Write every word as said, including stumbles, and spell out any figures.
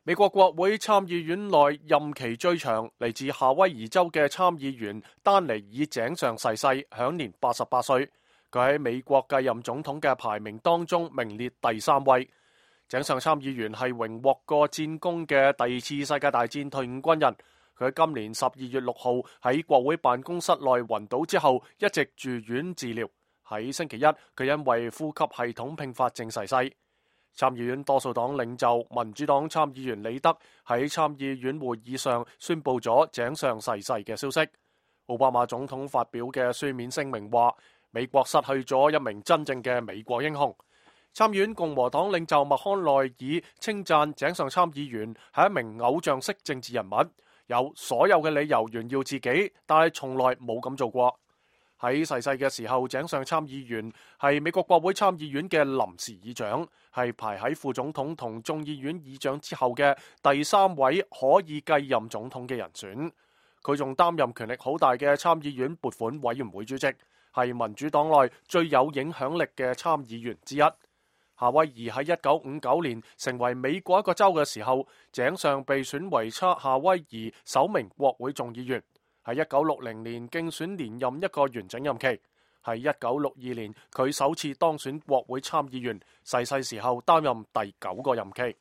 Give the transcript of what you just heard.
美國國會參議院內任期最長、嚟自夏威夷州嘅參議員丹尼爾井上逝世，享年八十八歲。佢喺美國繼任總統嘅排名當中名列第三位。井上參議員係榮獲過戰功嘅第二次世界大戰退伍軍人。佢喺今年十二月六號喺國會辦公室內暈倒之後，一直住院治療。喺星期一，佢因為呼吸系統併發症逝世。參議院多數黨領袖民主黨參議員李德喺參議院會議上宣布咗井上逝世嘅消息。奧巴馬總統發表嘅書面聲明話，美國失去咗一名真正嘅美國英雄。參議院共和黨領袖麥康奈爾稱讚井上參議員係一名偶像式政治人物，有所有嘅理由炫耀自己，但係從來冇咁做過。喺逝世嘅時候，井上參議員係美國國會參議院嘅臨時議長，係排喺副總統同眾議院議長之後嘅第三位可以繼任總統嘅人選。佢仲擔任權力好大嘅參議院撥款委員會主席，係民主黨內最有影響力嘅參議員之一。夏威夷喺一九五九年成為美國一個州嘅時候，井上被選為夏威夷首名國會眾議員。喺一九六零年競選連任一個完整任期，喺一九六二年佢首次當選國會參議員，逝世時候擔任第九個任期。